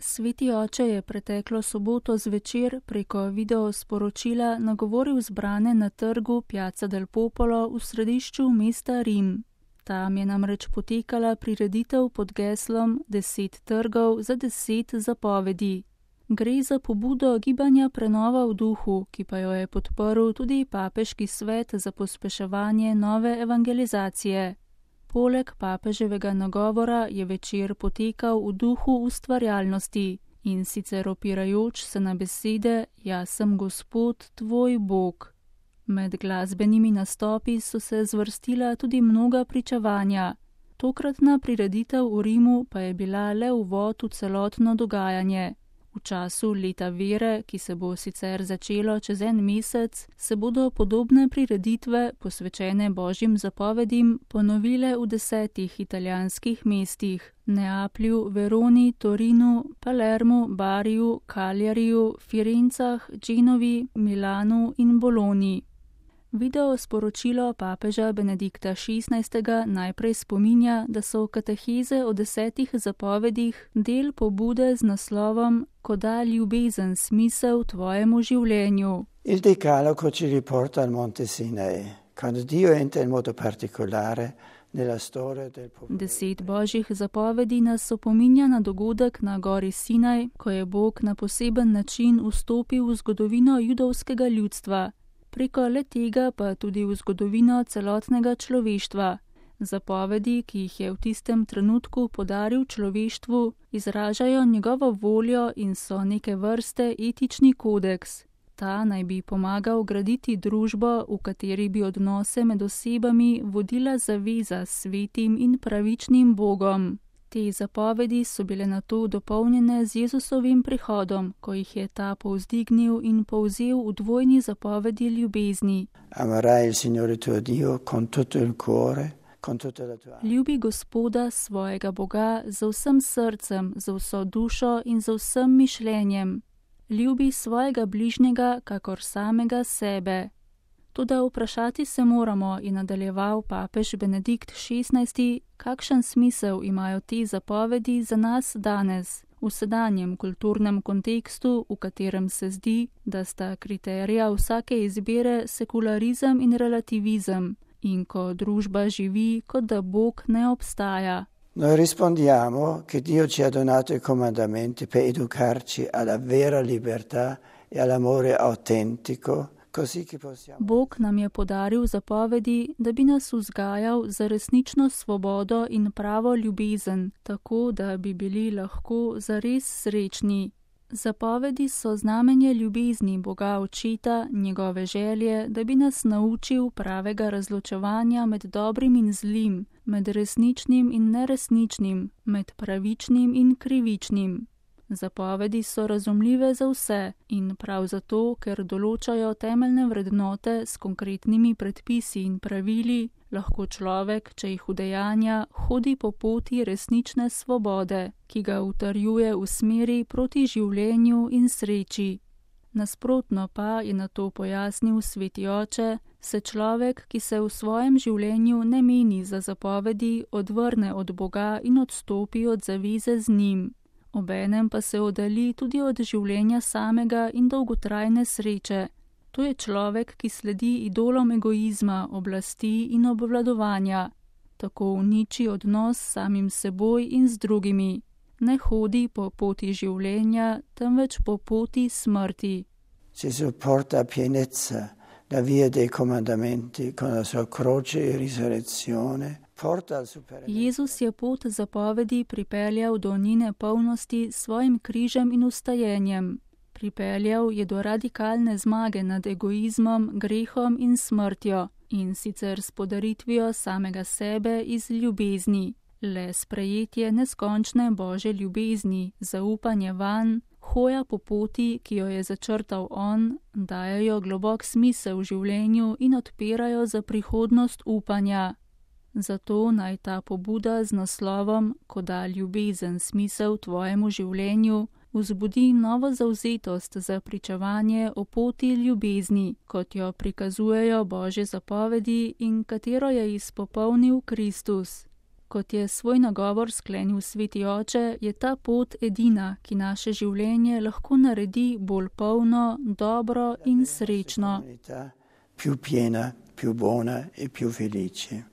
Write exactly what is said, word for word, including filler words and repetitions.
Sveti oče je preteklo soboto zvečer preko video sporočila nagovoril zbrane na trgu Piazza del Popolo v središču mesta Rim. Tam je namreč potekala prireditev pod geslom Deset trgov za deset zapovedi. Gre za pobudo gibanja Prenova v duhu, ki pa jo je podprl tudi Papeški svet za pospeševanje nove evangelizacije. Poleg papeževega nagovora je večer potekal v duhu ustvarjalnosti in sicer opirajoč se na besede Jaz sem Gospod, tvoj Bog. Med glasbenimi nastopi so se zvrstila tudi mnoga pričevanja. Tokratna prireditev v Rimu pa je bila le uvod v celotno dogajanje. V času leta vere, ki se bo sicer začelo čez en mesec, se bodo podobne prireditve, posvečene božjim zapovedim, ponovile v desetih italijanskih mestih: Neaplju, Veroni, Torinu, Palermu, Bariju, Kaljariju, Firencah, Genovi, Milanu in Bologni. Video sporočilo papeža Benedikta šestnajstega najprej spominja, da so kateheze o desetih zapovedih del pobude z naslovom Ko da ljubezen smisel tvojemu življenju. Il Decalogo ci riporta al Monte Sinai, quando Dio entra in modo particolare nella storia del popolo. Deset božjih zapovedi nas opominja na dogodek na gori Sinaj, ko je Bog na poseben način vstopil v zgodovino judovskega ljudstva. Preko le tega pa tudi v zgodovino celotnega človeštva. Zapovedi, ki jih je v tistem trenutku podaril človeštvu, izražajo njegovo voljo in so neke vrste etični kodeks. Ta naj bi pomagal graditi družbo, v kateri bi odnose med osebami vodila zaveza s svetim in pravičnim Bogom. Te zapovedi so bile nato dopolnjene z Jezusovim prihodom, ko jih je ta povzdignil in povzel v dvojni zapovedi ljubezni. Amarai il Signore tuo Dio con tutto il cuore, con tutta la tua. Ljubi Gospoda svojega Boga z vsem srcem, z vso dušo in z vsem mišljenjem. Ljubi svojega bližnjega kakor samega sebe. Toda vprašati se moramo, je nadaljeval papež Benedikt šestnajsti, kakšen smisel imajo te zapovedi za nas danes, v sedanjem kulturnem kontekstu, v katerem se zdi, da sta kriterija vsake izbire sekularizem in relativizem, in ko družba živi, kot da Bog ne obstaja. Noi rispondiamo che Dio ci ha donato i comandamenti per educarci alla vera libertà e all'amore autentico. Bog nam je podaril zapovedi, da bi nas vzgajal za resnično svobodo in pravo ljubezen, tako da bi bili lahko zares srečni. Zapovedi so znamenje ljubezni Boga Očeta, njegove želje, da bi nas naučil pravega razločevanja med dobrim in zlim, med resničnim in neresničnim, med pravičnim in krivičnim. Zapovedi so razumljive za vse in prav zato, ker določajo temeljne vrednote s konkretnimi predpisi in pravili, lahko človek, če jih udejanja, hodi po poti resnične svobode, ki ga utrjuje v smeri proti življenju in sreči. Nasprotno pa, je na to pojasnil Sveti oče, se človek, ki se v svojem življenju ne meni za zapovedi, odvrne od Boga in odstopi od zaveze z njim. Obenem pa se oddalji tudi od življenja samega in dolgotrajne sreče. To je človek, ki sledi idolom egoizma, oblasti in obvladovanja. Tako uniči odnos s samim seboj in z drugimi. Ne hodi po poti življenja, temveč po poti smrti. Gesù porta a pienezza la via dei comandamenti con la sua croce e risurrezione. Jezus je pot zapovedi pripeljal do njene polnosti s svojim križem in vstajenjem. Pripeljal je do radikalne zmage nad egoizmom, grehom in smrtjo, in sicer s podaritvijo samega sebe iz ljubezni. Le sprejetje neskončne Božje ljubezni, zaupanje vanj, hoja po poti, ki jo je začrtal on, dajejo globok smisel v življenju in odpirajo za prihodnost upanja. Zato naj ta pobuda z naslovom Ko da ljubezen smisel tvojemu življenju vzbudi novo zavzetost za pričevanje o poti ljubezni, kot jo prikazujejo Božje zapovedi in katero je izpopolnil Kristus. Kot je svoj nagovor sklenil sveti oče, je ta pot edina, ki naše življenje lahko naredi bolj polno, dobro in srečno. Più piena, più buona e più felice.